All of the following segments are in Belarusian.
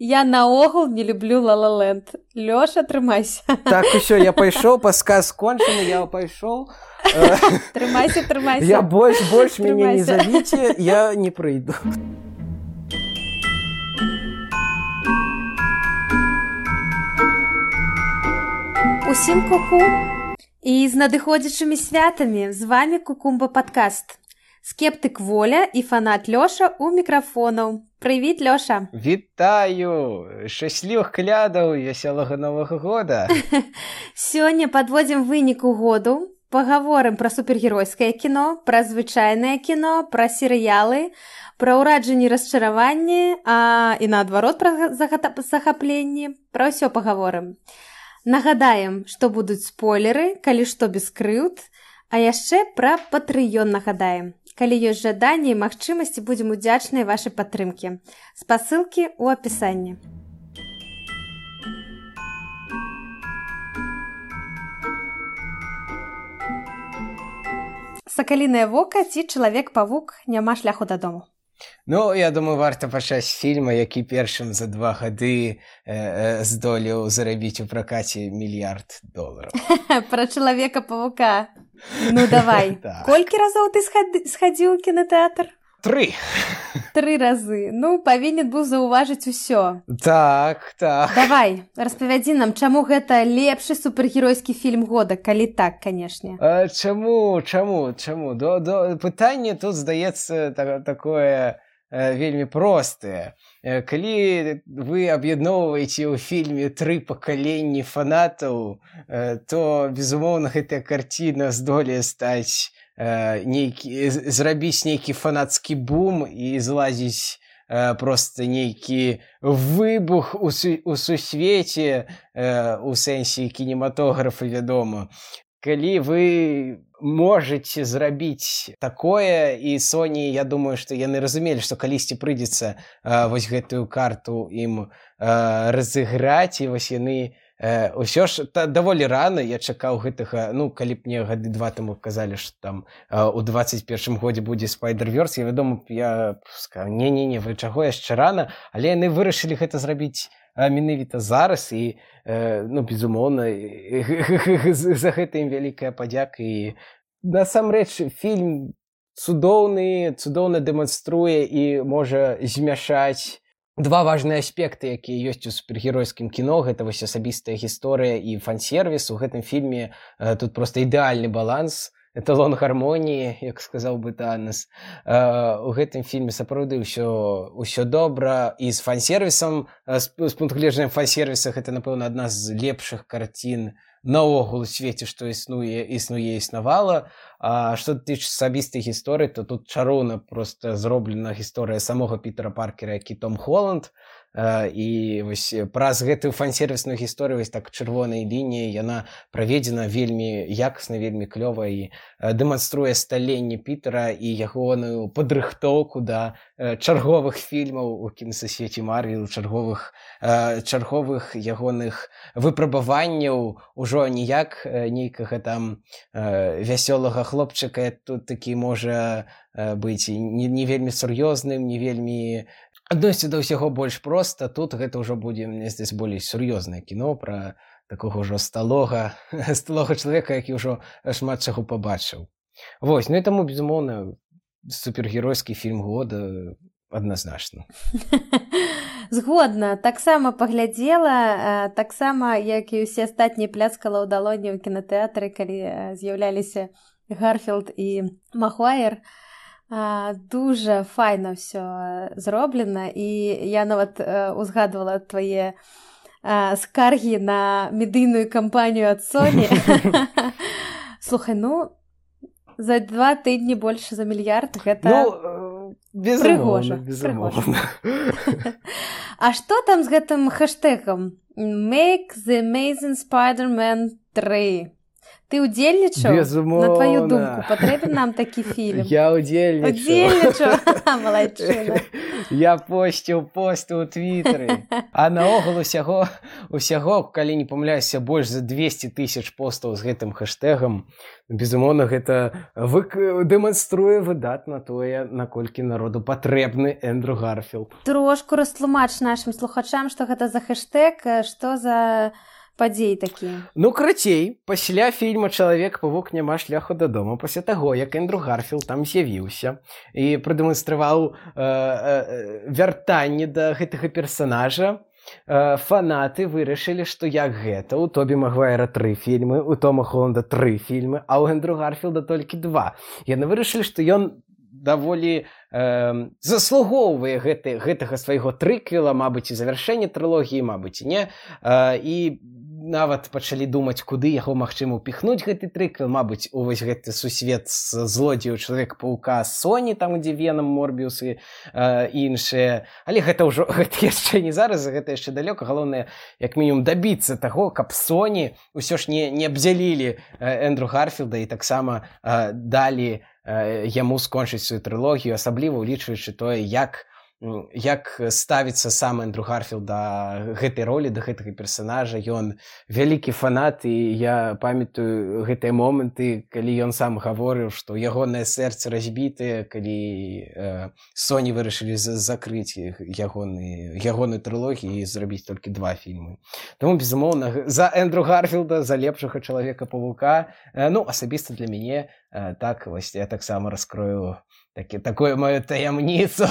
Я наогул не люблю «Ла-ла-ленд». Лёша, трымайся. Так, усё, я пайшоў, падказ скончаны, я пайшоў. Трымайся. Я больш мяне не завіце, я не прыйду. Усім ку-ку! І з надыходзячымі святамі з вамі Кукумба падкаст. Скептык Воля і фанат Лёша ў мікрафонаў. Прывіт, Лёша! Вітаю! Шчаслівых калядаў і вясёлага Новага года! Сёння падводзім выніку году, пагаворым пра супергеройскае кіно, пра звычайнае кіно, пра серыялы, пра ўраджанні, расчараванні, і наадварот пра захапленні. Пра ўсё пагаворым. Нагадаем, што будуць спойлеры, калі што без крыўд, а яшчэ пра Патрыён нагадаем. Калі ёсць жаданне і магчымасці, будзем удзячныя вашай падтрымкі. Спасылкі ў апісанні. Сакалінае вока ці чалавек-павук, няма шляху дадому. Ну, я думаю, варта пачаць з фільма, які першым за 2 гады здолеў зарабіць у пракаце $1 мільярд. Пра чалавека-павука. Ну, давай. Колькі разоў ты схадзіў у кінотэатр? 3. 3 разы. Ну, павінен быў заўважыць усё. Так. Давай, распавядзі нам, чаму гэта лепшы супергеройскі фільм года, калі так, канешне. Чаму? Пытанне тут, здаецца, такое вельмі простае. Калі вы аб'ядноўваеце ў фільме 3 пакаленні фанатаў, то, безумоўна, гэтая карціна здолее стаць зрабіць нейкі фанацкі бум і злазіць проста нейкі выбух у сусвеце, у сэнсе кінематографа, вядома. Калі вы можаце зрабіць такое, і Sony, я думаю, што яны разумелі, што калісьці прыйдзецца вось гэтую карту ім разыграць, і вось яны ўсё ж даволі рана я чакаў гэтага, ну, калі б мне гады 2 таму казалі, што там у 21 годзе будзе Spider-Verse, вядома, я сказаў, не, вы чаго, яшчэ рана, але яны вырашылі гэта зрабіць менавіта зараз, і, ну, безумоўна, за гэта ім вялікая падзяка, і насамрэч фільм цудоўна дэманструе і можа змяшаць 2 важныя аспекты, якія ёсць у супергеройскім кіно. Гэта вось асабістая гісторыя і фан-сервіс. У гэтым фільме тут проста ідэальны баланс, эталон гармоніі, як сказаў бы Танас. У гэтым фільме сапраўды ўсё добра, і з фан-сервісам, з пункту гледжання фан-сервіса, гэта, напэўна, адна з лепшых карцін наогул у свеце, што існавала. А што тычыцца асабістай гісторыі, то тут чароўна проста зроблена гісторыя самога Пітера Паркера, які Том Холланд. І вось праз гэтую фан-сервісную гісторыю, вось так чырвонай лініяй, яна праведзена вельмі якасна, вельмі клёва, і дэманструе сталенне Пітера і ягоную падрыхтоўку да чарговых фільмаў у кінасвеце Марвел, чарговых ягоных выпрабаванняў, ужо не як нейкага там вясёлага хлопчыка, тут такі можа быць не вельмі сур'ёзным, не вельмі адносіцца да ўсяго больш проста. Тут гэта ўжо будзе, мне здаецца, болей сур'ёзнае кіно пра такога ўжо сталога чалавека, які ўжо шмат чаго пабачыў. Вось, ну і таму, безумоўна, супергеройскі фільм года адназначна. Згодна, таксама паглядзела, таксама, як і ўсе астатнія пляскала ў далоні ў кінатэатры, калі з'яўляліся Гарфілд і Магуайр. Дуже файна ўсё зроблена, і я нават узгадвала твае скаргі на медыйную кампанію ад Sony. Слухай, ну, за 2 тыдні больш за $1 мільярд, гэта прыгожа. А што там з гэтым хэштэгам? Make the Amazing Spider-Man 3. Ты удзельнічаў? Безумоўна. На твою думку, патрэбен нам такі фільм? Я удзельнічаў. Удзельнічаў? Малайчына. Я посціў посты ў твітары. А наогул усяго, калі не памыляюся, больш за 200 000 постаў з гэтым хэштэгам. Безумоўна, гэта дэманструе выдатна тое, наколькі народу патрэбны Эндрю Гарфілд. Трошку растлумач нашым слухачам, што гэта за хэштэг, што за падзеі такія. Ну, крацей, пасля фільма «Чалавек-павук. Няма шляху дадому», пасля таго, як Эндрю Гарфілд там з'явіўся і прадэманстраваў вяртанне да гэтага персанажа, фанаты вырашылі, што як гэта, у Тобі Магуайра 3 фільмы, у Тома Холланда 3 фільмы, а ў Эндрю Гарфілда толькі 2. Яны вырашылі, што ён даволі заслугоўвае гэтага свайго трыквела, мабыць, і завяршэння трылогіі, мабыць, не? І нават пачалі думаць, куды яго магчыма ўпіхнуць гэты трыквел, мабыць, у вось гэты сусвет з злодзею Чалавека-паўка з Соні, там, дзе Венам, Морбіус і іншыя. Але гэта яшчэ не зараз, гэта яшчэ далёка. Галоўнае, як мінімум, дабіцца таго, каб Соні ўсё ж не абдзялілі Эндрю Гарфілда і таксама далі яму скончыць сваю трылогію, асабліва ўлічваючы тое, як ставіцца сам Эндрю Гарфілд да гэтай ролі, да гэтага персанажа. Ён вялікі фанат, і я памятаю гэтыя моманты, калі ён сам гаворыў, што ягонае сэрца разбітае, калі Соні вырашылі закрыць ягоную трылогію і зрабіць толькі 2 фільмы. Таму, безумоўна, за Эндрю Гарфілда, за лепшага Чалавека-павука, ну, асабіста для мяне, так, вось я таксама раскрою такую мою таямніцу.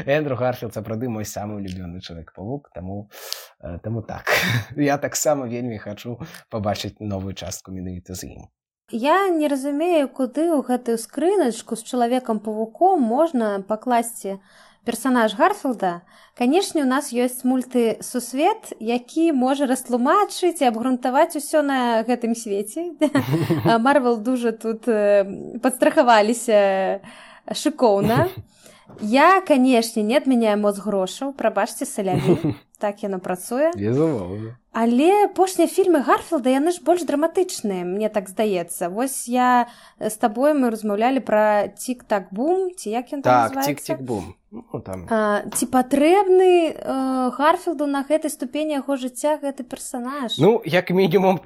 Эндрю Гарфілд сапраўды мой самы улюбёны Чалавек-павук, таму так. Я таксама вельмі хачу пабачыць новую частку менавіта з ім. Я не разумею, куды ў гэтую скрыначку з Чалавекам-павуком можна пакласці персанаж Гарфілда. Канешне, у нас ёсць мультысусвет, які можа растлумачыць і абгрунтаваць усё на гэтым свеце. Марвел дужа тут падстрахаваліся шыкоўна. Я, канешне, не адмяняю моц грошаў, прабачце, саляві, так яно працуе. Безумоўна. Але апошнія фільмы Гарфілда, яны ж больш драматычныя, мне так здаецца. Вось я з табой мы размаўлялі пра «Тик-так-бум», ці як ён там называецца? Так, «Тик-тик-бум». Ну, там. Ці патрэбны Гарфілду на гэтай ступені яго жыцця гэты персанаж? Ну, як мінімум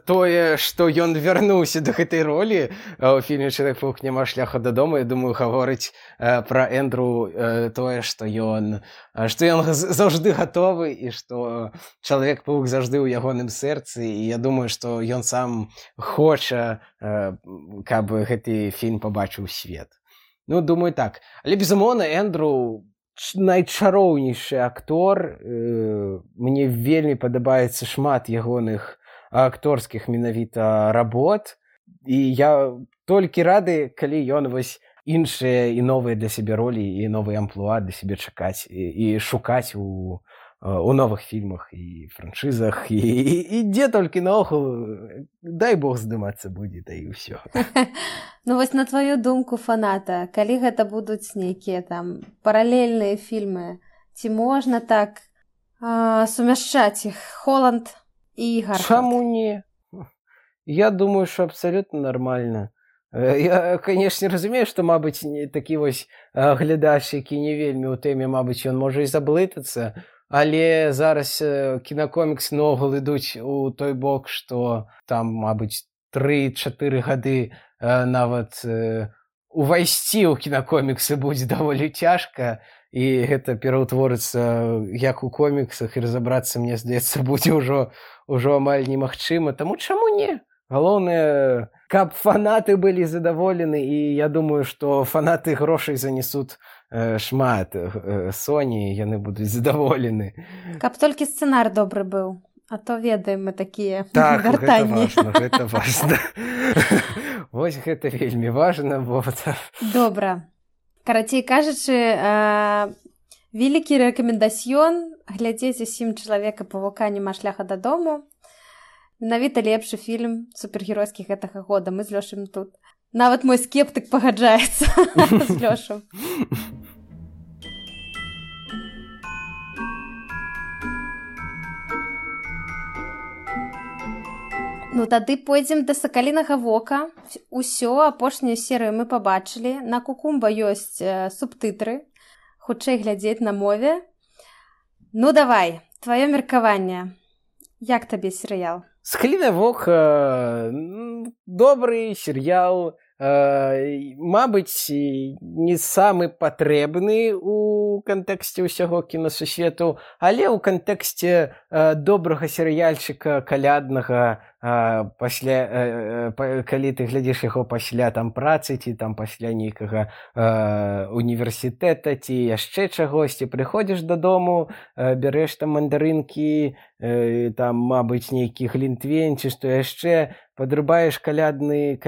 тое, што ён вярнуўся да гэтай ролі ў фільме «Чалавек-павук. Няма шляху дадому», я думаю, гаворыць пра Эндрю тое, што ён заўжды гатовы і што Чалавек-павук заўжды ў ягоным сэрцы, і я думаю, што ён сам хоча, каб гэты фільм пабачыў свет. Ну, думаю, так. Але, безумоўна, Эндрю найчароўнейшы актор. Мне вельмі падабаецца шмат ягоных акторскіх менавіта работ. І я толькі рады, калі ён вось іншыя і новыя для сябе ролі і новыя амплуа для сябе чакаць і шукаць у новых фільмах і франшызах, і дзе толькі наогул, дай Бог здымацца будзе, да і ўсё. Ну вось на твою думку фаната, калі гэта будуць нейкія там паралельныя фільмы, ці можна так сумяшчаць іх, Холланд і Гарфілд? Чаму не? Я думаю, што абсалютна нармальна. Я, канешне, разумею, што, мабыць, такі вось глядач, які не вельмі ў тэме, мабыць, ён можа і заблытацца, але зараз кінакоміксы наогул ідуць у той бок, што там, мабыць, 3-4 гады нават увайсці ў кінакоміксы будзе даволі цяжка, і гэта пераўтворыцца як у коміксах, і разабрацца, мне здаецца, будзе ўжо амаль немагчыма. Таму чаму не? Галоўнае, каб фанаты былі задаволены, і я думаю, што фанаты грошай занесуць шмат Соні, яны будуць задаволены. Каб толькі сцэнар добры быў, а то ведаем мы такія вяртанні. Так, гэта важна. Вось гэта вельмі важна. Добра. Карацей кажучы, вялікі рэкамендацыён глядзець усім Чалавека-павука «Няма шляха дадому». Менавіта лепшы фільм супергеройскі гэтага года. Мы з Лёшам тут. Нават мой скептык пагаджаецца з Лёшам. Ну тады пойдзем да сакалінага вока. Усё, апошнюю серыю мы пабачылі. На Кукумба ёсць субтытры. Хутчэй глядзець на мове. Ну давай, тваё меркаванне. Як табе серыял? «Сакаліны вок» добры серыял, мабыць, не самы патрэбны ў кантэксце ўсяго кінасусвету, але ў кантэксце добрага серыяльчыка каляднага, пасля, калі ты глядзіш яго пасля там працы ці там пасля нейкага універсітэта ці яшчэ чагосьці, прыходзіш дадому, бярэш там мандарынкі, там, мабыць, нейкі глінтвейн ці што яшчэ, падрубаеш каляднае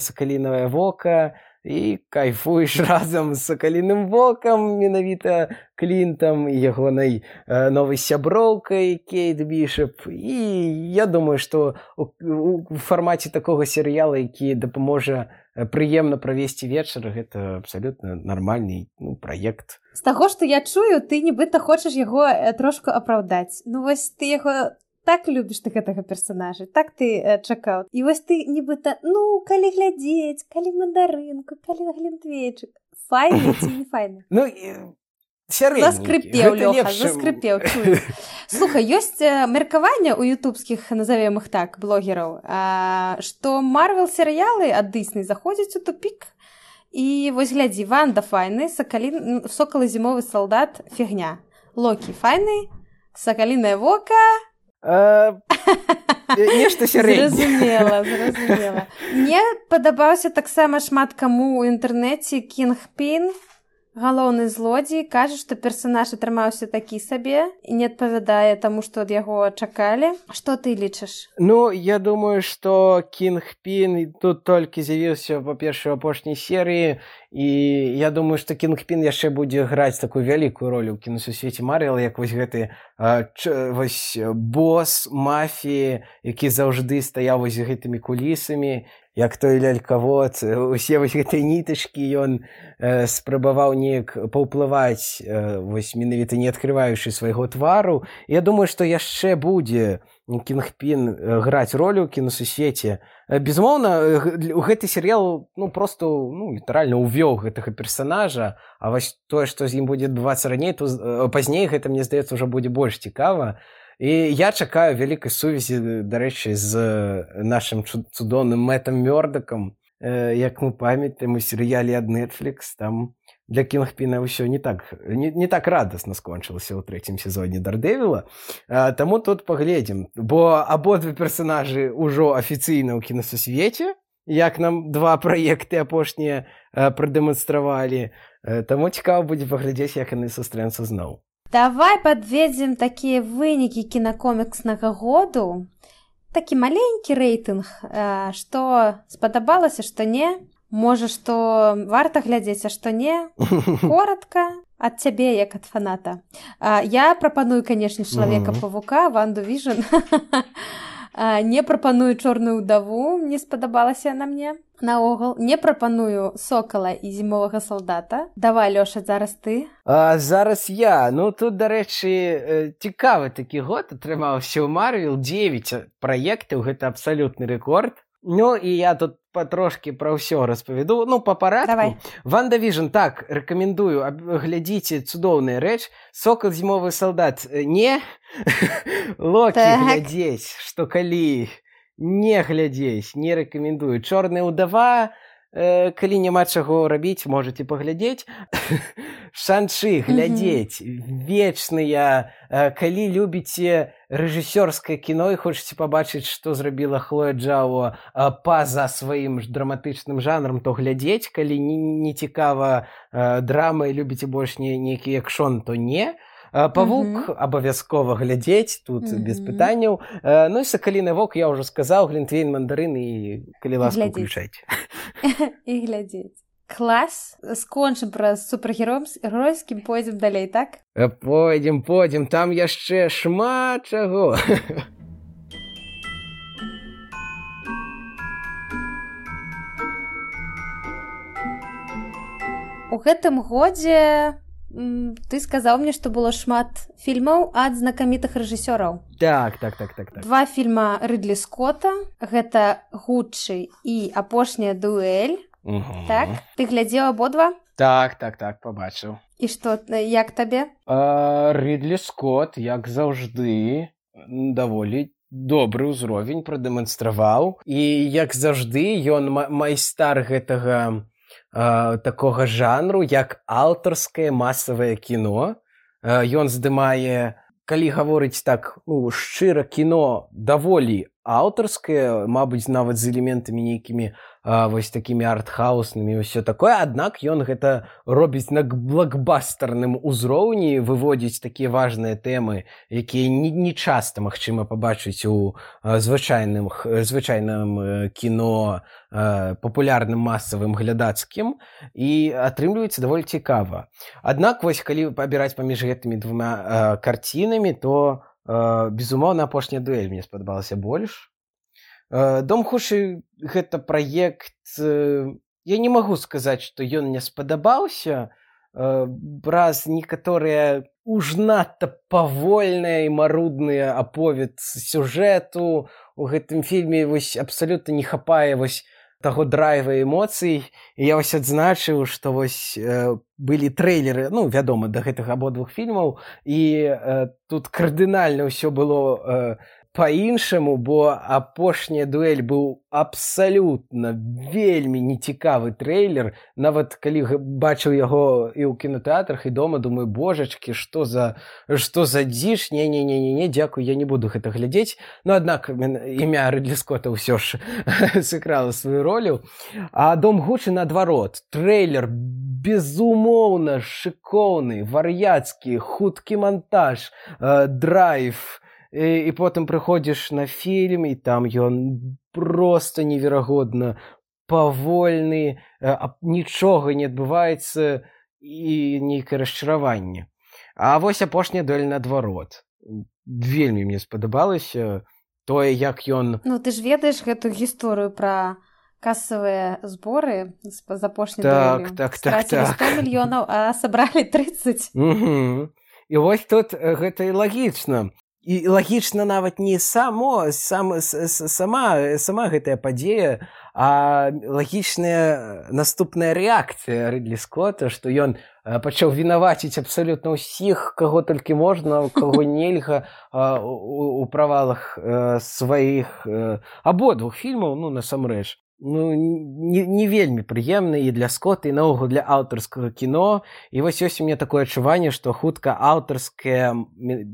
сакалінавае вока і кайфуеш разам з сакаліным вокам, менавіта Клінтам і ягонай новай сяброўкай Кейт Бішоп. І я думаю, што у фармаце такога серыяла, які дапаможа прыемна правесці вечар, гэта абсалютна нармальны праект. З таго, што я чую, ты нібыта хочаш яго трошку апраўдаць. Ну вось ты яго так любіш ты гэтага персанажа, так ты чакаў. І вось ты нібыта, калі глядзець, калі мандарынку, калі глінтвейчык. Файны ці не файны? Сярэдненькі. Заскрыпеў, Лёха, заскрыпеў, чую. Слухай, ёсць меркаванне ў ютубскіх, назовем іх так, блогераў, што Марвел-серыялы ад Дысней заходзяць у тупік. І вось глядзі, Ванда файны, Сокал і зімовы салдат фігня. Локі файны, Сакалінае вока... Нешта сярэдняе. Зразумела. Мне падабаўся таксама шмат каму ў інтэрнэце Кінгпін, галоўны злодзей, кажа, што персанаж атрымаўся такі сабе і не адпавядае таму, што ад яго чакалі. Што ты лічыш? Я думаю, што Кінгпін тут толькі з'явіўся, па-першае, у апошняй серыі, і я думаю, што Кінгпін яшчэ будзе граць такую вялікую ролю ў кінасусвеце Марвел, як вось гэты босс мафіі, які заўжды стаяў вось гэтымі кулісамі, як той лялькавод, усе вось гэтыя нітачкі ён спрабаваў неяк паўплываць, вось менавіта не адкрываючы свайго твару. Я думаю, што яшчэ будзе Кінгпін граць ролю ў кінасусвеце. Безумоўна, гэты серыял просто літаральна увёў гэтага персанажа, а вось тое, што з ім будзе адбывацца раней, пазней гэта, мне здаецца, ўжо будзе больш цікава. І я чакаю вялікай сувязі, дарэчы, з нашым цудоўным Мэтам Мёрдакам. Як мы памятаем, у серыяле ад Netflix там для Кінгпіна ўсё не так радасна скончылася ў 3-м сезоне Дардэвіла. Таму тут паглядзім, бо абодва персанажы ўжо афіцыйна ў кінасусвеце, як нам 2 праекты апошнія прадэманстравалі. Таму цікава будзе паглядзець, як яны сустрэнуцца зноў. Давай падведзем такія вынікі кінакомікснага году. Такі маленькі рэйтынг, што спадабалася, што не. Можа, што варта глядзець, а што не. Коротка ад цябе, як ад фаната. Я прапаную, канешне, Чалавека-павука, Ванду Віжн. Не прапаную Чорную ўдаву, не спадабалася яна мне. Наогул, не прапаную Сокала і зімовага салдата. Давай, Лёша, зараз ты. Зараз я. Тут, дарэчы, цікавы такі год атрымаўся ў Марвел. 9 праектаў, гэта абсалютны рэкорд. І я тут патрошкі пра ўсё распавяду. Па парадку. Давай. Ванда Віжн, так, рэкамендую, глядзіце, цудоўная рэч. Сокал, зімовы салдат, не. Локі глядзець, што калі не глядзець, не рэкамендую. Чорная ўдава, калі няма чаго рабіць, можаце паглядзець. Шан-Чы глядзець, вечныя. Калі любіце рэжысёрскае кіно і хочаце пабачыць, што зрабіла Хлоя Джао па-за сваім драматычным жанрам, то глядзець. Калі не цікава драма і любіце больш нейкі экшон, то не. Павук абавязкова глядзець, тут без пытанняў. І Сакаліны вок, я ўжо сказаў, глінтвейн, мандарын і, калі ласка, уключайце. І глядзець. Клас. Скончым пра супергеройскім, пойдзем далей, так? Пойдзем. Там яшчэ шмат чаго. У гэтым годзе ты сказаў мне, што было шмат фільмаў ад знакамітых рэжысёраў. Так. 2 фільма Рыдлі Скотта, гэта «Гуччы» і «Апошняя дуэль». Так? Ты глядзеў абодва? Так, пабачыў. І што, як табе? Рыдлі Скотт, як заўжды, даволі добры ўзровень прадэманстраваў. І, як заўжды, ён майстар гэтага такога жанру, як аўтарскае масавае кіно. Ён здымае, калі гаворыць так, шчыра, кіно даволі аўтарскае, мабыць, нават з элементамі нейкімі вось такімі артхауснымі і ўсё такое, аднак ён гэта робіць на блокбастерным узроўні, выводзіць такія важныя тэмы, якія не часта магчыма пабачыць у звычайным кіно, папулярным масавым глядацкім, і атрымліваецца даволі цікава. Аднак вось калі абіраць паміж гэтымі 2 карцінамі, то безумоўна, «Апошняя дуэль» мне спадабалася больш. «Дом Хуши» — гэта праект, я не магу сказаць, што ён мне спадабаўся, праз некаторыя уж надта павольныя і марудныя аповед сюжэту. У гэтым фільме вось абсалютна не хапае вось таго драйва эмоцый. І я вось адзначыў, што вось былі трэйлеры, вядома, да гэтых абодвух фільмаў, і тут кардынальна ўсё было па-іншаму, бо «Апошняя дуэль» быў абсалютна вельмі нецікавы трэйлер. Нават калі бачыў яго і ў кінотэатрах, і дома, думаю, божачкі, што за дзіж, не, дзякуй, я не буду гэта глядзець. Аднак імя Рыдлі Скотта ўсё ж сыграла сваю ролю. А «Дом Гуччы» наадварот. Трэйлер безумоўна шыкоўны, вар'яцкі, хуткі монтаж, драйв. І потым прыходзіш на фільм, і там ён проста неверагодна павольны, нічога не адбываецца, і нейкае расчараванне. А вось «Апошняя дуэль» наадварот. Вельмі мне спадабалася тое, як ён... Ты ж ведаеш гэту гісторыю пра касавыя зборы з апошняй дуэлью. Страцілі 100 мільёнаў, а сабралі 30. І вось тут гэта і лагічна. І лагічна нават не сама гэтая падзея, а лагічная наступная рэакцыя Рыдлі Скотта, што ён пачаў вінаваціць абсалютна ўсіх, каго толькі можна, каго нельга у правалах сваіх абодвух фільмаў, насамрэч. Не вельмі прыемна і для Скотта, і наогул для аўтарскага кіно. І вось ёсць у мяне такое адчуванне, што хутка аўтарскае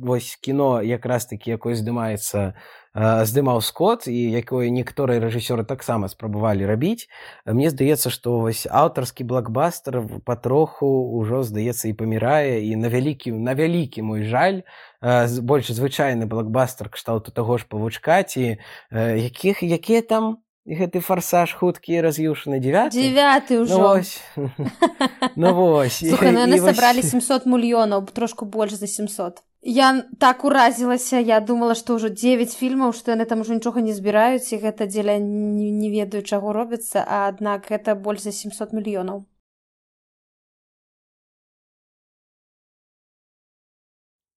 вось кіно якраз такі, якое здымаў Скотт, і якое некаторыя рэжысёры таксама спрабавалі рабіць. Мне здаецца, што вось аўтарскі блокбастер патроху ўжо, здаецца, і памірае, і на вялікі мой жаль, больш звычайны блокбастер кшталту таго ж «Павучка», ці якія там гэты «Фарсаж» хуткі і раз'юшаны 9 ўжо. Вось. Слухай, яны сабралі 700 мільёнаў, трошку больш за 700. Я так уразілася, я думала, што ўжо 9 фільмаў, што яны там ужо нічога не збіраюць, і гэта дзеля не ведаю, чаго робіцца, а аднак гэта больш за 700 мільёнаў.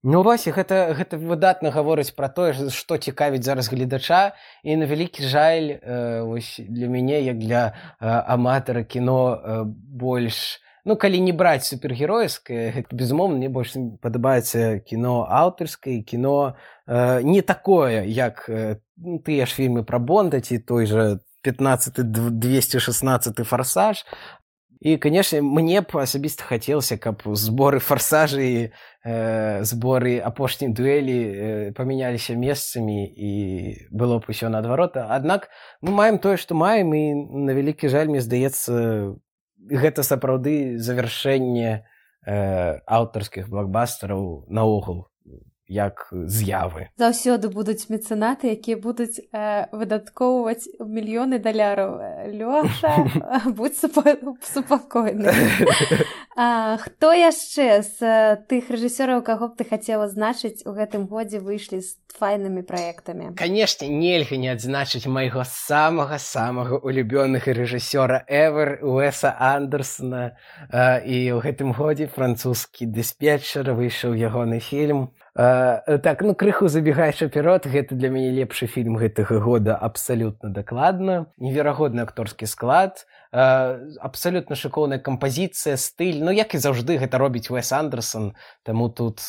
Вось, гэта выдатна гаворыць пра тое, што цікавіць зараз гледача, і на вялікі жаль, вось для мяне, як для аматара кіно больш, калі не браць супергеройскае, гэта, безумоўна, мне больш падабаецца кіно аўтарскае, кіно не такое, як тыя ж фільмы пра Бонда, ці той жа 15-216 «Фарсаж». І, канешне, мне б асабіста хацелася, каб зборы «Фарсажы» і зборы «Апошняй дуэлі» памяняліся месцамі і было б усё наадварот. Аднак мы маем тое, што маем, і на вялікі жаль, мне здаецца, гэта сапраўды завяршэнне аўтарскіх блокбастераў наогул як з'явы. Заўсёды будуць мецэнаты, якія будуць выдаткоўваць мільёны даляраў. Лёша, будь супакойны. Хто яшчэ з тых рэжысёраў, каго б ты хацела адзначыць, у гэтым годзе выйшлі з файнымі праектамі? Канешне, нельга не адзначыць майго самага улюбёнага рэжысёра ever Уэса Андерсона. І ў гэтым годзе французскі дыспетчар выйшаў ягоны фільм. Так, ну крыху забегаючы наперад, гэта для мяне лепшы фільм гэтага года абсалютна дакладна. Неверагодны акторскі склад, абсалютна шыкоўная кампазіцыя, стыль. Ну, як і заўжды гэта робіць Уэс Андерсон, таму тут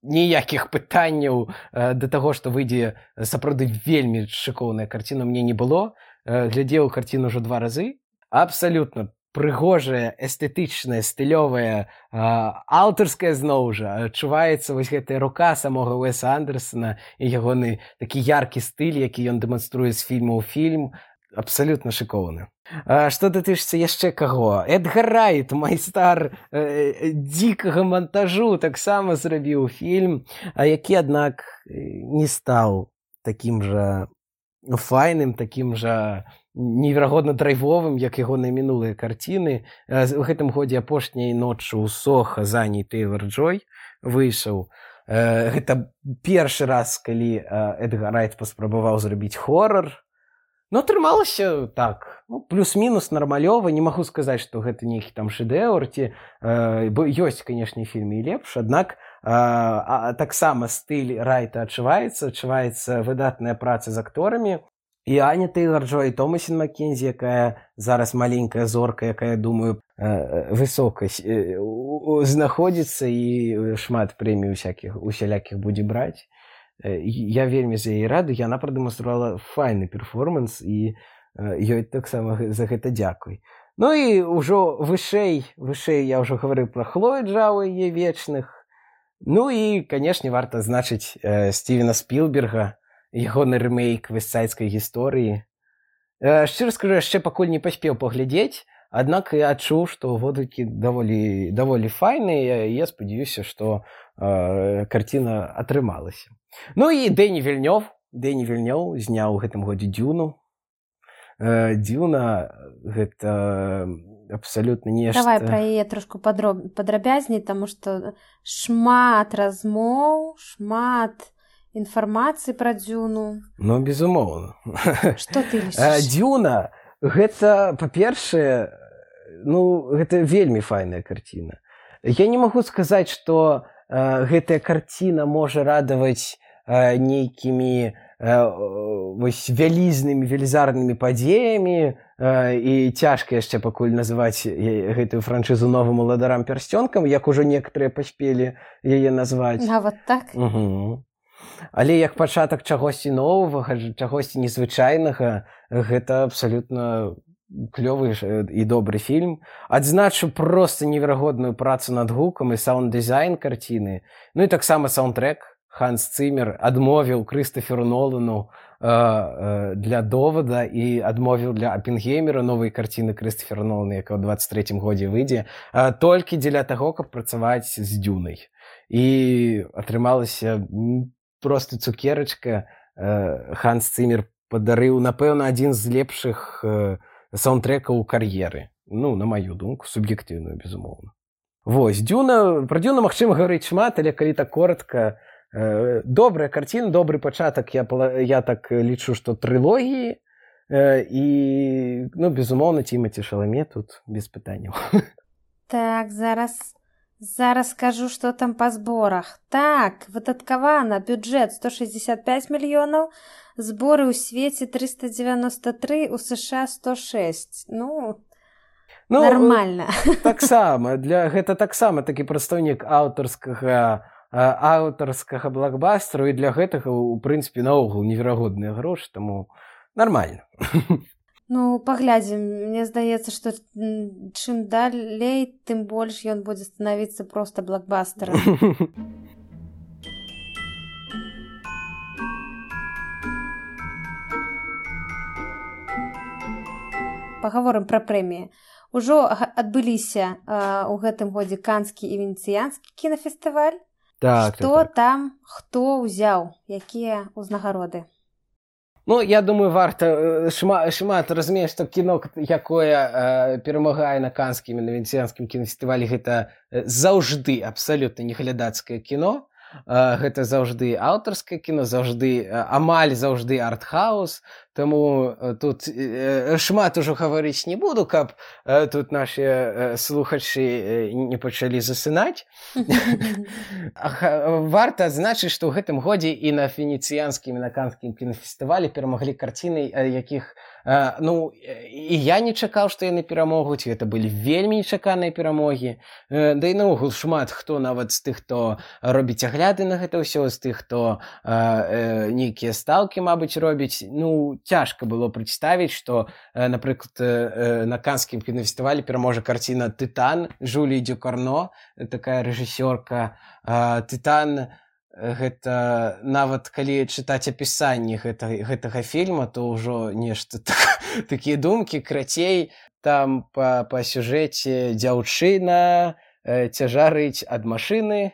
ніякіх пытанняў да таго, што выйдзе сапраўды вельмі шыкоўная карціна, мне не было. Глядзеў карціну ўжо 2 разы. Абсалютна прыгожая, эстэтычная, стылёвая, аўтарская зноў жа. Адчуваецца вось гэтая рука самога Уэса Андерсона і ягоны такі яркі стыль, які ён дэманструе з фільма ў фільм. Абсалютна шыкоўны. Што датычыцца яшчэ каго? Эдгар Райт, майстар дзікага монтажу, таксама зрабіў фільм, які, аднак, не стаў такім жа файным, такім жа неверагодна драйвовым, як ягоныя мінулыя карціны. У гэтым годзе апошняй ноччу ў Соха з Аняй Тэйлар-Джой выйшаў. Гэта першы раз, калі Эдгар Райт паспрабаваў зрабіць хорар. Ну, атрымалася так, ну, плюс-мінус нармалёва. Не магу сказаць, што гэта нейкі там шэдэўр, ці ёсць, канешне, фільмы і лепш, аднак таксама стыль Райта адчуваецца выдатная праца з акторамі. І Аня Тэйлар-Джой, і Томасін Маккензі, якая зараз маленькая зорка, якая, думаю, высока знаходзіцца і шмат прэмій усялякіх будзе браць. Я вельмі за яе рады, яна прадэманстравала файны перформанс, і ёй таксама за гэта дзякуй. Ну і ўжо вышэй я ўжо гаварыў пра Хлою Джао і яе вечных. Ну і, канешне, варта адзначыць Стівена Спілберга, ягоны рэмейк вестсайдскай гісторыі. Шчыра скажу, яшчэ пакуль не паспеў паглядзець, аднак я адчуў, што водгукі даволі файныя, і я спадзяюся, што карціна атрымалася. Ну і Дэні Вільнёв зняў у гэтым годзе Дзюну. Дзюна — гэта абсалютна нешта... Давай пра яе трошку падрабязней, таму што шмат размоў, шмат інфармацыі пра Дзюну. Ну, безумоўна. Што ты лічыш? Дзюна — гэта, па-першае, ну, гэта вельмі файная карціна. Я не магу сказаць, што гэтая карціна можа радаваць нейкімі вялізнымі, велізарнымі падзеямі, і цяжка яшчэ пакуль называць гэтую франшызу новым уладарам пярсцёнкам, як ужо некаторыя паспелі яе назваць. Нават так? Але як пачатак чагосьці новага, чагосьці незвычайнага, гэта абсалютна клёвы і добры фільм. Адзначу проста неверагодную працу над гукам і саунд-дызайн карціны. Ну і таксама саундтрэк. Ханс Цімер адмовіў Крыстаферу Нолану для «Довода» і адмовіў для «Аппенгеймера», новай карціны Крыстафера Нолана, якая ў 23-м годзе выйдзе, толькі дзеля таго, каб працаваць з «Дзюнай». І атрымалася проста цукерачка. Ханс Цімер падарыў, напэўна, адзін з лепшых саундтрэкаў у кар'еры. Ну, на маю думку, суб'ектыўную, безумоўна. Вось, Дзюна, пра Дзюну магчыма гаварыць шмат, але калі так коротка, добрая карціна, добры пачатак, я так лічу, што трылогіі, і, ну, безумоўна, Тімаці Шаламе тут без пытанняў. Так, зараз скажу, што там па зборах. Так, выдаткавана бюджэт 165 мільёнаў, зборы ў свеце 393, у США 106. Ну, нармальна. Гэта таксама такі прадстаўнік аўтарскага блокбастеру, і для гэтага, у прынцыпе, наогул неверагодныя грошы, таму нармальна. Ну, паглядзім. Мне здаецца, што чым далей, тым больш ён будзе станавіцца проста блокбастерам. Пагаворым пра прэміі. Ужо адбыліся ў гэтым годзе Канскі і Венецыянскі кінафестываль. Што там хто ўзяў, якія ўзнагароды? Ну, я думаю, варта шмат разумець, што кіно, якое перамагае на канскім і на венецыянскім кінафестывалі, гэта заўжды абсалютна не глядацкае кіно. Гэта заўжды аўтарскае кіно, амаль заўжды арт-хаус, таму тут шмат ужо гаварыць не буду, каб тут нашы слухачы не пачалі засынаць. Варта адзначыць, што ў гэтым годзе і на венецыянскім і на канскім кінафестывалі перамаглі карціны, якіх і я не чакаў, што яны перамогуць, гэта былі вельмі нечаканыя перамогі. Да і наогул шмат хто, нават з тых, хто робіць агляды на гэта ўсё, з тых, хто нейкія стаўкі, мабыць, робіць. Цяжка было прадставіць, што, напрыклад, на канскім кінафестывалі пераможа карціна «Тытан» Жюлі Дюкарно, такая рэжысёрка. «Тытан» гэта нават калі чытаць апісанні гэтага фільма, то ўжо нешта такія думкі, крацей, там па сюжэце дзяўчына цяжарыць ад машыны.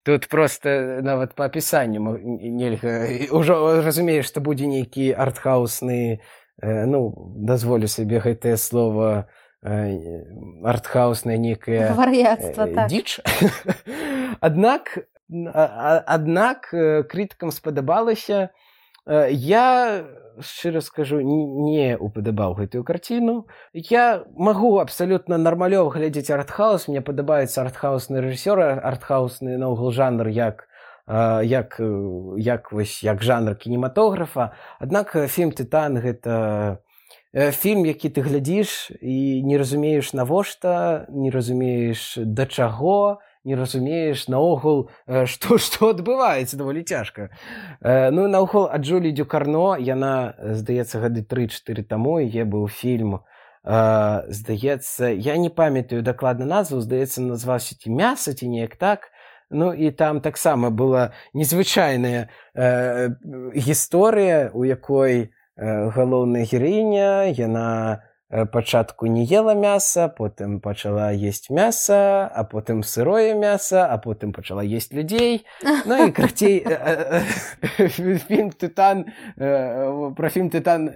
Тут проста нават па апісанню нельга, ўжо разумееш, што будзе нейкі артхаусны, дазволю сабе гэтае слова, артхаусная нейкая дзіч. Аднак крытыкам спадабалася. Я, шчыра скажу, не упадабаў гэтую карціну. Я магу абсалютна нармалёва глядзець артхаус, мне падабаецца артхаусны рэжысёр, артхаусны наогул жанр як жанр кінематографа. Аднак фільм «Тытан» гэта фільм, які ты глядзіш і не разумееш навошта, не разумееш да чаго, не разумееш наогул, што адбываецца, даволі цяжка. Наогул, ад Жюлі Дюкарно, яна, здаецца, гады 3-4 таму, яе быў фільм, здаецца, я не памятаю дакладна назву, здаецца, назваўся ці «Мяса», ці неяк так. І там таксама была незвычайная гісторыя, у якой галоўная гераіня, яна пачатку не ела мяса, потым пачала есць мяса, а потым сырое мяса, а потым пачала есць людзей. І крацей, фільм «Тытан», пра фільм «Тытан»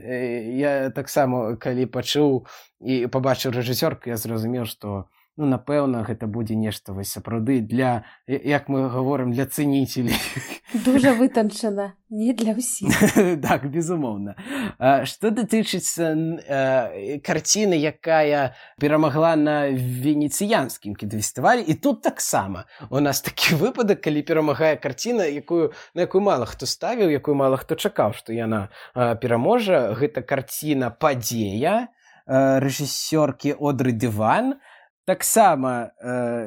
я таксама, калі пачуў і пабачыў рэжысёрку, я зразумеў, што напэўна, гэта будзе нешта сапраўды для, як мы гаворым, для цэніцелей. Дужа вытанчана, не для ўсіх. Так, безумоўна. Што датычыцца карціны, якая перамагла на венецыянскім кінафестывалі, і тут таксама у нас такі выпадак, калі перамагае карціна, на якую мала хто ставіў, якую мала хто чакаў, што яна пераможа. Гэта карціна «Падзея» рэжысёркі Одры Деван. Таксама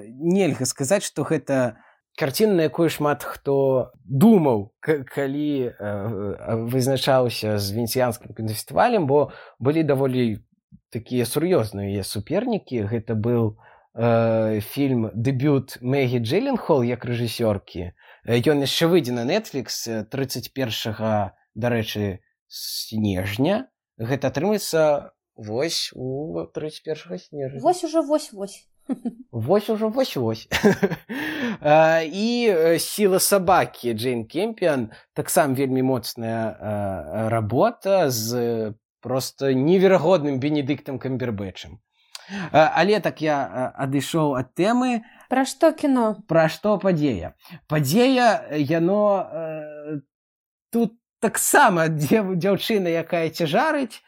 нельга сказаць, што гэта карціна, на якую шмат хто думаў, калі вызначаўся з венецыянскім кінафестывалем, бо былі даволі такія сур'ёзныя супернікі. Гэта быў фільм «Дэбют» Мэгі Джилленхол як рэжысёркі. Ён яшчэ выйдзе на Netflix 31, дарэчы, снежня. Гэта атрымаецца вось у 31 снежня. Вось ужо. І «Сіла сабакі» Джейн Кемпіан, таксама вельмі моцная работа з проста неверагодным Бенедыктам Камбербэтчам. Але так я адышоў ад тэмы. Пра што кіно? Пра што «Падзея». «Падзея», яно тут таксама дзяўчына, якая цяжарыць,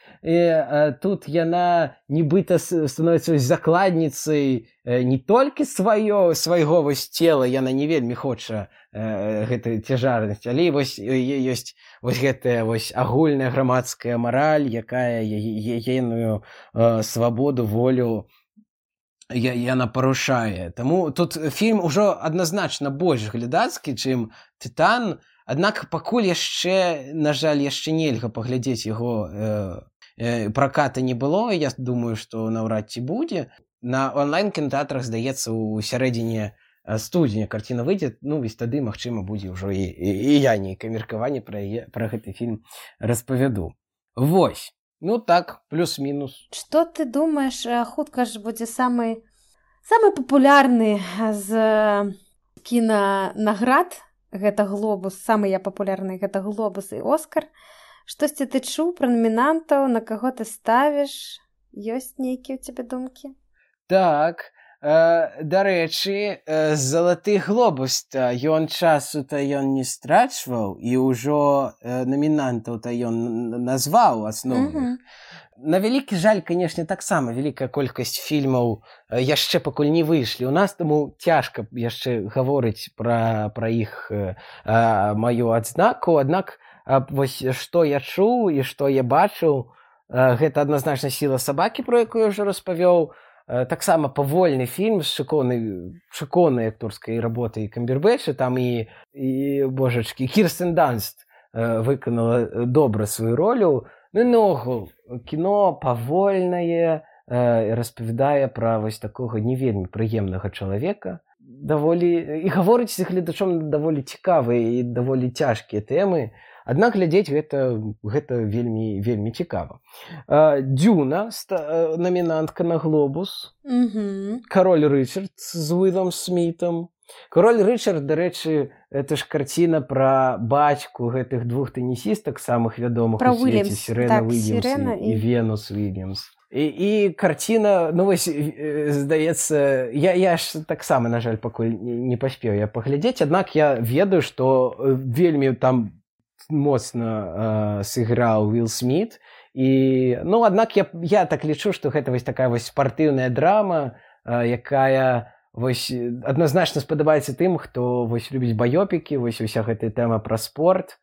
тут яна нібыта становіцца закладніцай не толькі свайго цела, яна не вельмі хоча гэтай цяжарнасці, але ёсць гэтая агульная грамадская мараль, якая ейную свабоду, волю яна парушае. Таму тут фільм ужо адназначна больш глядацкі, чым «Тытан». Аднак пакуль яшчэ, на жаль, яшчэ нельга паглядзець яго, праката не было, я думаю, што наўрад ці будзе. На онлайн-кінатэатрах, здаецца, у сярэдзіне студзеня карціна выйдзе, вось тады, магчыма, будзе ўжо і я нейкае меркаванне пра гэты фільм распавяду. Вось, так, плюс-мінус. Што ты думаеш, хутка ж будзе самы папулярны з кінанаград, гэта глобус, самыя папулярныя гэта глобус і Оскар. Штосьці ты чуў пра намінантаў, на каго ты ставіш? Ёсць нейкія ў цябе думкі? Так, дарэчы, залаты глобус-то ён часу-то ён не страчваў і ўжо намінантаў-то ён назваў асноўных. На вялікі жаль, канешне, таксама вялікая колькасць фільмаў яшчэ пакуль не выйшлі. У нас таму цяжка яшчэ гаворыць пра іх маю адзнаку. Аднак вось што я чуў і што я бачыў, гэта адназначна «Сіла сабакі», про якую я ўжо распавёў. Таксама павольны фільм з шыкоўнай акторскай работай Камбербэтча. Там і божачкі, Кірстен Данст выканала добра сваю ролю. Ну, ногул, кіно павольнае, распавядае пра вось такога не вельмі прыемнага чалавека. І гаворыць з гледачом даволі цікавыя і даволі цяжкія тэмы. Аднак глядзець гэта вельмі, вельмі цікава. Дзюна, намінантка на глобус. Кароль Рычард з Уілам Смітам. Король Рычард, дарэчы, это ж карціна пра бацьку гэтых двух тэнісістак самых вядомых у свеце, Сірена Уільямс і Венус Уільямс. І карціна, ну вось, здаецца, я ж таксама, на жаль, пакуль не паспеў я паглядзець, аднак я ведаю, што вельмі там моцна сыграў Уіл Сміт. І, ну, аднак я так лічу, што гэта вось такая вось спартыўная драма, якая вось адназначна спадабаецца тым, хто вось любіць баёпікі, вось уся гэтая тэма пра спорт.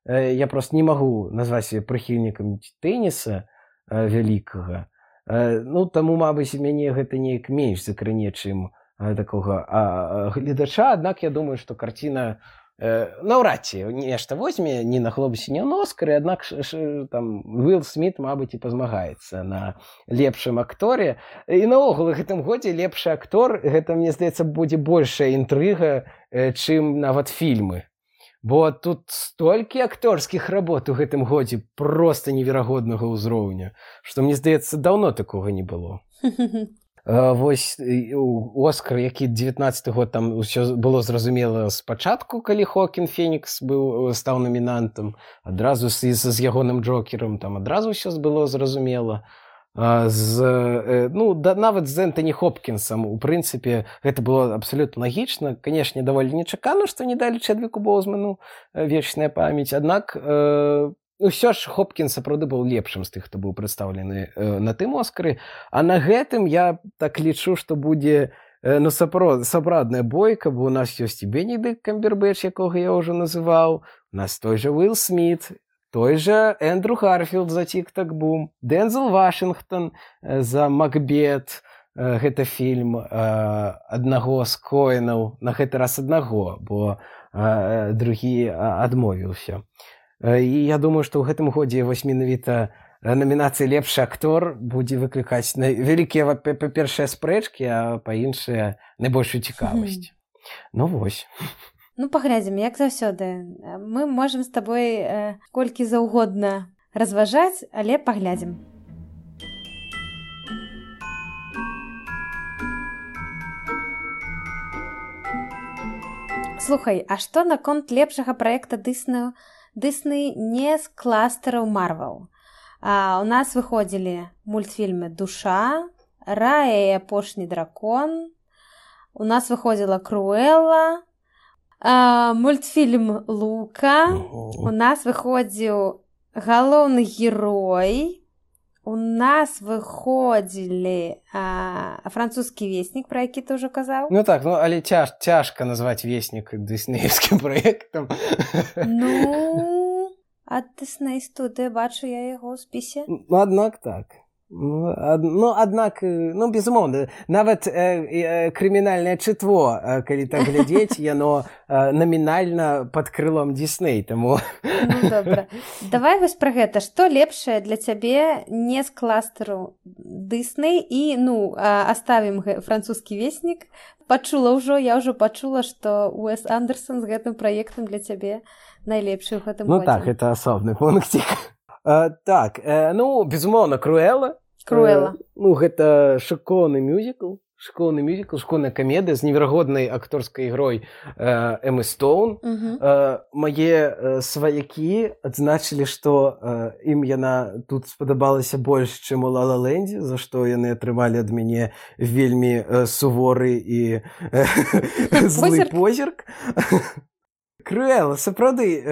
Я проста не магу назваць сябе прыхільнікам тэніса вялікага. Ну, таму, мабыць, мяне гэта неяк менш закране, чым такога гледача. Аднак я думаю, што карціна наўрад ці нешта возьме ні на глобусе, ні на Оскары, аднак там Уіл Сміт, мабыць, і пазмагаецца на лепшым акторе. І наогул у гэтым годзе лепшы актор, гэта, мне здаецца, будзе большая інтрыга, чым нават фільмы. Бо тут столькі акторскіх работ у гэтым годзе проста неверагоднага ўзроўню, што, мне здаецца, даўно такога не было. Вось Оскар, які 19-й год, там усё было зразумела спачатку, калі Хоакін Фенікс стаў намінантам, адразу з ягоным Джокерам, там адразу ўсё было зразумела. Нават з Энтані Хопкінсам, у прынцыпе, гэта было абсалютна лагічна. Канешне, даволі нечакана, што не далі Чэдвіку Боузману вечная памяць, аднак ўсё ж Хопкінс сапраўды быў лепшым з тых, хто быў прадстаўлены на тым Оскары. А на гэтым я так лічу, што будзе сапраўдная бойка, бо у нас ёсць і Бенедыкт Камбербэтч, якога я ўжо называў, у нас той жа Уіл Сміт, той жа Эндрю Гарфілд за «Тік-так-бум», Дензел Вашынгтон за «Макбет». Гэта фільм аднаго з Коэнаў, на гэты раз аднаго, бо другі адмовіўся. І я думаю, што ў гэтым годзе вось менавіта намінацыя «Лепшы актор» будзе выклікаць вялікія, па-першае, спрэчкі, а па-іншае, найбольшую цікавасць. Ну вось. Ну, паглядзім, як заўсёды. Мы можам з табой колькі заўгодна разважаць, але паглядзім. Слухай, а што наконт лепшага праекта Дысней не з кластараў Марвел? У нас выходзілі мультфільмы «Душа», «Рая і апошні дракон», у нас выходзіла «Круэлла», мультфільм «Лука», у нас выходзіў «Галоўны герой», у нас выходзілі «Французскі веснік», пра які ты ўжо казаў. Ну так, але цяжка назваць веснік дыснеевскім праектам. Ну, ад Дысней студыя, бачу я яго ў спісе. Ну, аднак так. Аднак, безумоўна, нават крымінальнае чытво, калі так глядзець, яно намінальна пад крылом Дысней, таму... Ну, добра. Давай вось пра гэта. Што лепшае для цябе не з кластару Дысней і, аставім «Французскі веснік». Я ўжо пачула, што Уэс Андерсон з гэтым праектам для цябе найлепшы ў гэтым годзе. Ну так, гэта асобны пунктик. Так, безумоўна, «Круэлла». «Круэлла». Гэта шыкоўны мюзікл, школьны мюзікл, школьная камедыя з неверагоднай акторскай ігрой Эммы Стоун. Мае сваякі адзначылі, што ім яна тут спадабалася больш, чым у «Ла-Ла-Лэндзе», за што яны атрымалі ад мяне вельмі суворы і злы позірк. «Круэлла», сапраўды,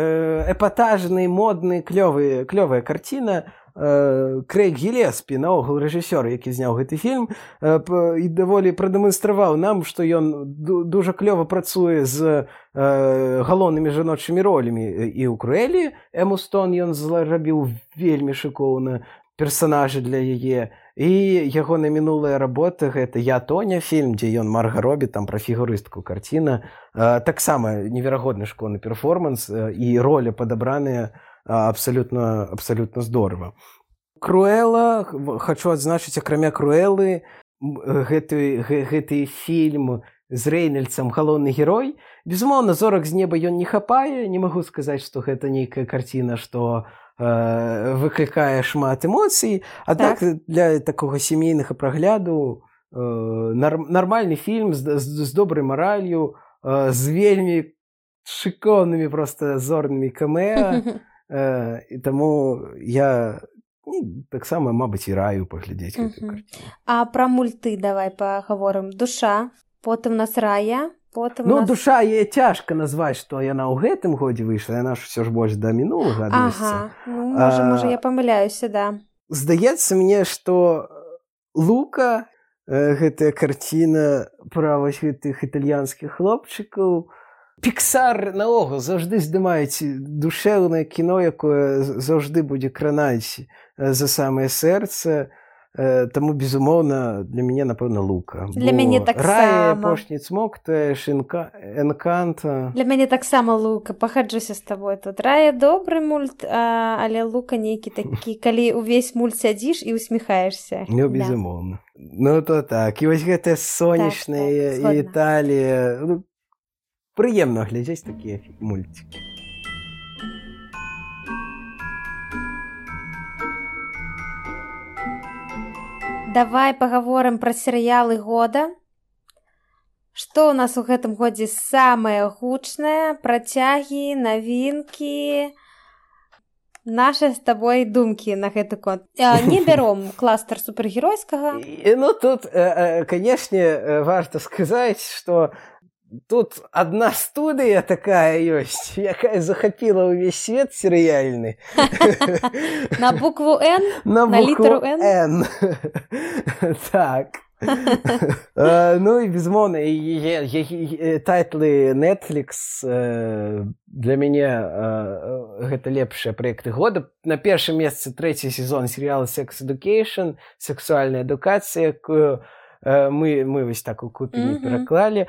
эпатажны, модны, клёвая карціна. Крэйг Гілеспі, наогул рэжысёр, які зняў гэты фільм, і даволі прадэманстраваў нам, што ён дужа клёва працуе з галоўнымі жаночымі ролямі. І ў «Круэллі» Эмму Стоун ён зрабіў вельмі шыкоўна персанажы для яе. І ягоная мінулая работа — гэта «Я, Тоня» фільм, дзе ён Марга Робі, там пра фігурыстку карціна. Таксама неверагодны школьны перформанс, і роля падабраная абсолютно здорово. «Круэлла», хочу адзначыць, акрамя «Круэллы», гэты фільм з Рэйнальдсам галоўны герой. Безумоўна, зорак з неба ён не хапае, не магу сказаць, што гэта нейкая карціна, што выклікае шмат эмоцый, аднак для такога сямейнага прагляду нармальны фільм з добрай маралью, з вельмі шыкоўнымі проста зорнымі камеа. І таму я таксама, мабыць, і раю паглядзець гэтую карціну. А пра мульты давай пагаворым. «Душа», потым у нас «Рая», потым у нас... «Душа» яе цяжка назваць, што яна ў гэтым годзе выйшла, яна ж усё ж больш да мінулага адносіцца. Можа, я памыляюся, да. Здаецца мне, што «Лука», гэтая карціна пра вось гэтых італьянскіх хлопчыкаў, Піксар наогул заўжды здымаюць душэўнае кіно, якое заўжды будзе кранаць за самае сэрца. Таму, безумоўна, для мяне, напэўна, «Лука». Для мяне таксама. «Рая», «Апошні цмок», «Энканта». Для мяне таксама «Лука». Пагаджуся з табой тут. «Рая» добры мульт, але «Лука» нейкі такі, калі ўвесь мульт сядзіш і усміхаешся. Ну, безумоўна. Ну, то так. І вось гэтая сонечная Італія... Прыемна глядзець такія мульцікі. Давай пагаворым пра серыялы года. Што ў нас у гэтым годзе самае гучнае? Працягі, навінкі, нашы з табой думкі на гэты конт. Не бяром кластер супергеройскага. Ну, тут, канешне, варта сказаць, што тут одна студыя такая ёсць, якая захапіла ўвесь свет серыяльны. На букву «Н»? На літару «Н»? Так. Ну і, безумоўна, тайтлы Netflix для мяне гэта лепшыя праекты года. На першым месцы 3-й сезон серыяла «Sex Education», «Сексуальная адукацыя», якую мы вось так у купе не пераклалі.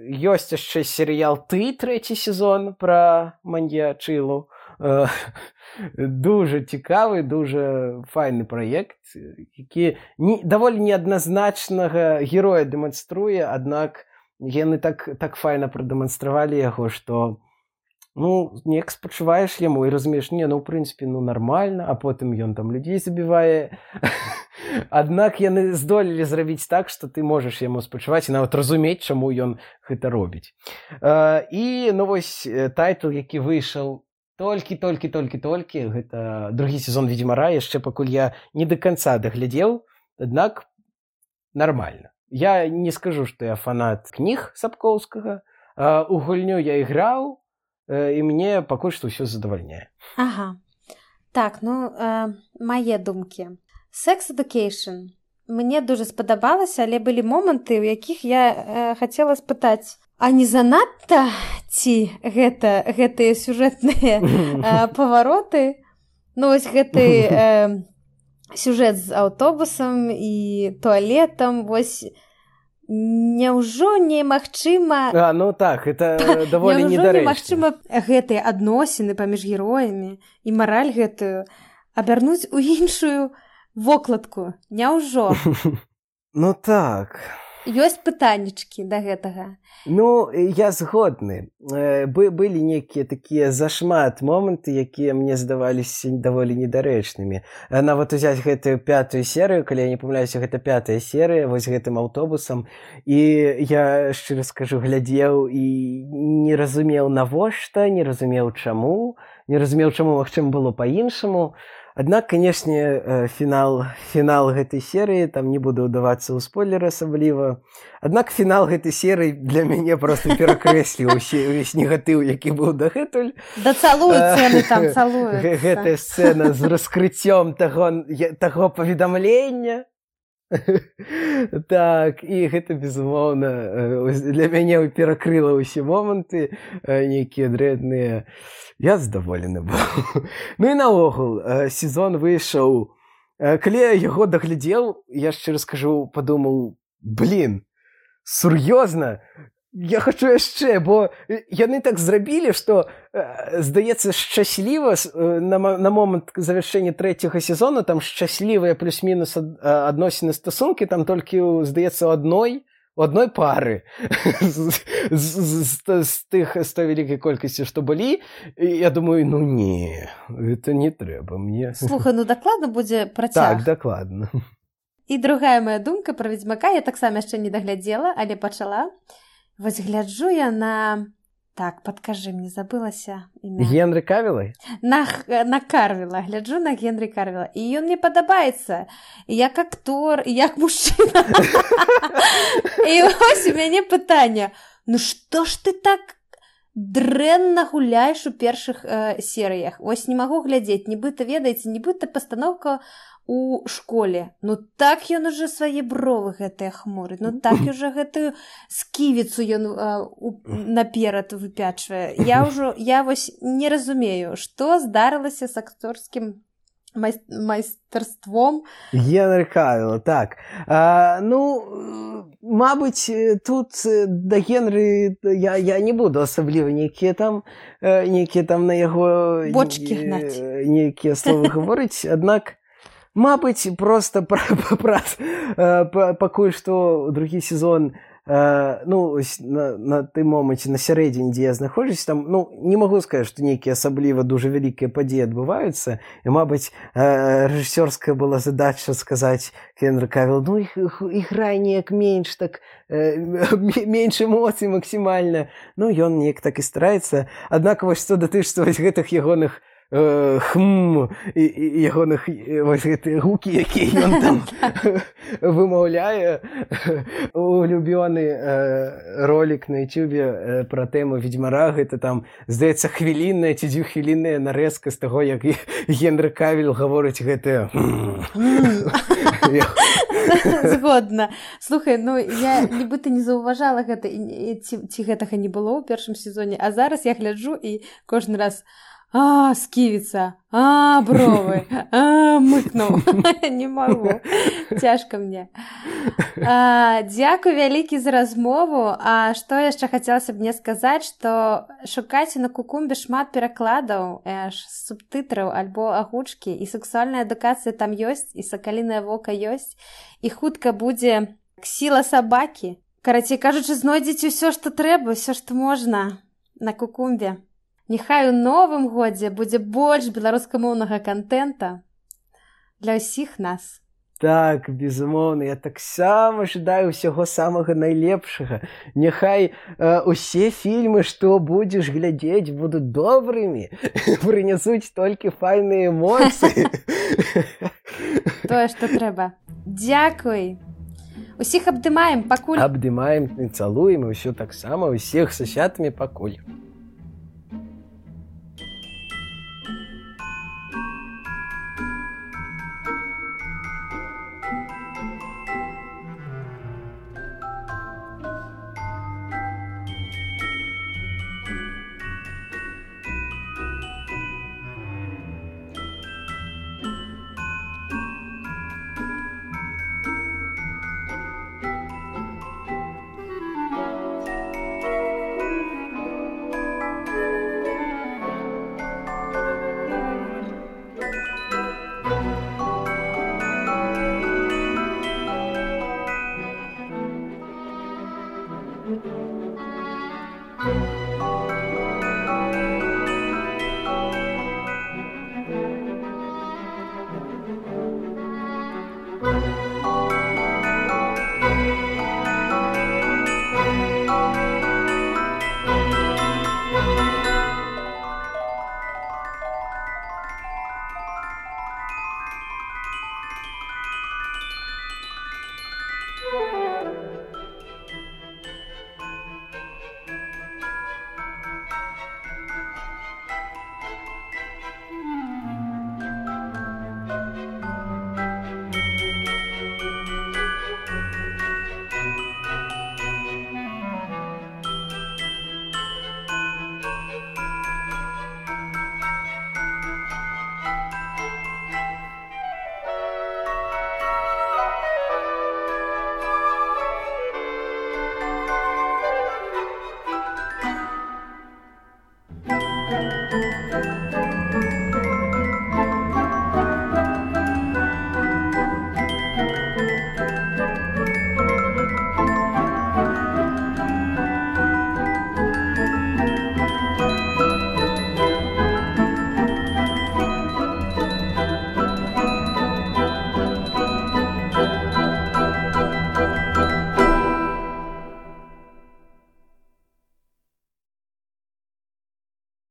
Ёсць яшчэ серыял «Ты», 3-й сезон пра маньячылу. Дужа цікавы, дужа файны праект, які даволі неадназначнага героя дэманструе, аднак яны так файна прадэманстравалі яго, што неяк спачуваеш яму і разумееш, ў прынцыпе, нармальна, а потым ён там людзей забівае. Аднак яны здолелі зрабіць так, што ты можаш яму спачуваць і нават разумець, чаму ён гэта робіць. І, вось, тайтл, які выйшаў толькі, гэта 2-й сезон «Ведзьмара», яшчэ пакуль я не да канца даглядзеў, аднак нармальна. Я не скажу, што я фанат кніг Сапкоўскага, у гульню я іграў, і мне пакуль што ўсё задавальняе. Ага. Так, мае думкі. «Sex Education» мне дужа спадабалася, але былі моманты, у якіх я хацела спытаць, а не занадта ці гэтыя сюжэтныя павароты? Вось гэты сюжэт з аўтобусам і туалетам, вось няўжо немагчыма... Так, это даволі недарэчна. Няўжо немагчыма гэтыя адносіны паміж героямі і мараль гэтую абярнуць у іншую вокладку? Няўжо? Так... ёсць пытаннічкі да гэтага. Ну, я згодны. Былі нейкія такія зашмат моманты, якія мне здаваліся даволі недарэчнымі. Нават узяць гэтую 5-ю серыю, калі я не памыляюся, гэта 5-я серыя, вось гэтым аўтобусам. І я, шчыра скажу, глядзеў і не разумеў навошта, не разумеў чаму, магчыма, было па-іншаму. Аднак, канешне, фінал гэтай серыі, там не буду ўдавацца ў спойлер асабліва. Аднак фінал гэтай серыі для мяне проста перакрэсліў увесь негатыў, які быў дагэтуль. Да цалуюцца яны там, цалуюцца. Гэтая сцэна з раскрыццём таго паведамлення. Так, і гэта, безумоўна, для мяне перакрыла ўсе моманты, нейкія дрэнныя. Я задаволены быў. Ну і наогул, сезон выйшаў. Калі я яго даглядзеў, я шчыра скажу, падумаў, сур'ёзна? Я хачу яшчэ, бо яны так зрабілі, што, здаецца, шчасліва на момант завяршэння 3-го сезону, там шчаслівыя плюс-мінус адносіны стасункі, там толькі, здаецца, у адной пары з той вялікай колькасці, што былі. Я думаю, ну не, гэта не трэба мне. Слухай, ну дакладна будзе працяг. Так, дакладна. І другая моя думка пра Ведзьмака, я таксама яшчэ не даглядзела, але пачала. Вось гляджу я на... Так, падкажы, мне забылася імя. Генрі Кавіла? На Карвіла. Гляджу на Генрі Карвіла. І ён мне падабаецца. І як актор, і як мужчына. І вось у мяне пытанне. Ну што ж ты так дрэнна гуляеш у першых серыях? Вось не магу глядзець. Нібыта, ведаеце, нібыта пастаноўка у школе. Ну так ён уже свае бровы гэтыя хмуры. Ну так уже гэтую сківіцу ён наперад выпячвае. Я вось не разумею, што здарылася з акторскім майстэрством. Генрі Кавіла, так. Ну, мабыць, тут да Генрі я не буду асабліва нейкія там на яго бочкі гнаць. Нейкія словы гаварыць, аднак мабыць, проста пакуль што другі сезон, ну, на тым моманце, на сярэдзіне, дзе я знаходжуся, там, ну, не магу сказаць, што нейкія асабліва дужа вялікія падзеі адбываюцца, і, мабыць, рэжысёрская была задача сказаць Генрі Кавіл, ну, іграй неяк менш, так, менш эмоцый максімальна. Ну, ён неяк так і стараецца. Аднак, вось, што датычыцца вось гэтых ягоных і ягоных вось гэтыя гукі, якія ён там вымаўляе. Улюбёны ролик на ютубе пра тэму Ведзьмара, гэта там, здаецца, хвілінная ці дзвюхвілінная нарэзка з таго, як Генрі Кавіл гаворыць гэтае. Згодна. Слухай, ну я нібыта не заўважала гэта, ці гэтага не было ў першым сезоне, а зараз я гляджу і кожны раз сківіца, бровы, мыкнуў. Не магу. Цяжка мне. Дзякуй вялікі за размову. А што яшчэ хацелася б мне сказаць, што шукайце на Кукумбе шмат перакладаў, субтытраў альбо агучкі, і сексуальная адукацыя там ёсць, і сакалінае вока ёсць, і хутка будзе сіла сабакі. Карацей кажучы, знойдзеце ўсё, што трэба, ўсё, што можна на Кукумбе. Няхай у новым годзе будзе больш беларускамоўнага кантэнта для ўсіх нас. Так, безумоўна, я таксама жадаю ўсяго самага найлепшага. Няхай усе фільмы, што будзеш глядзець, будуць добрымі, прынясуць толькі файныя эмоцыі. Тое, што трэба. Дзякуй. Усіх абдымаем, пакуль. Абдымаем, цалуем, і ўсё таксама, усіх са святамі пакуль.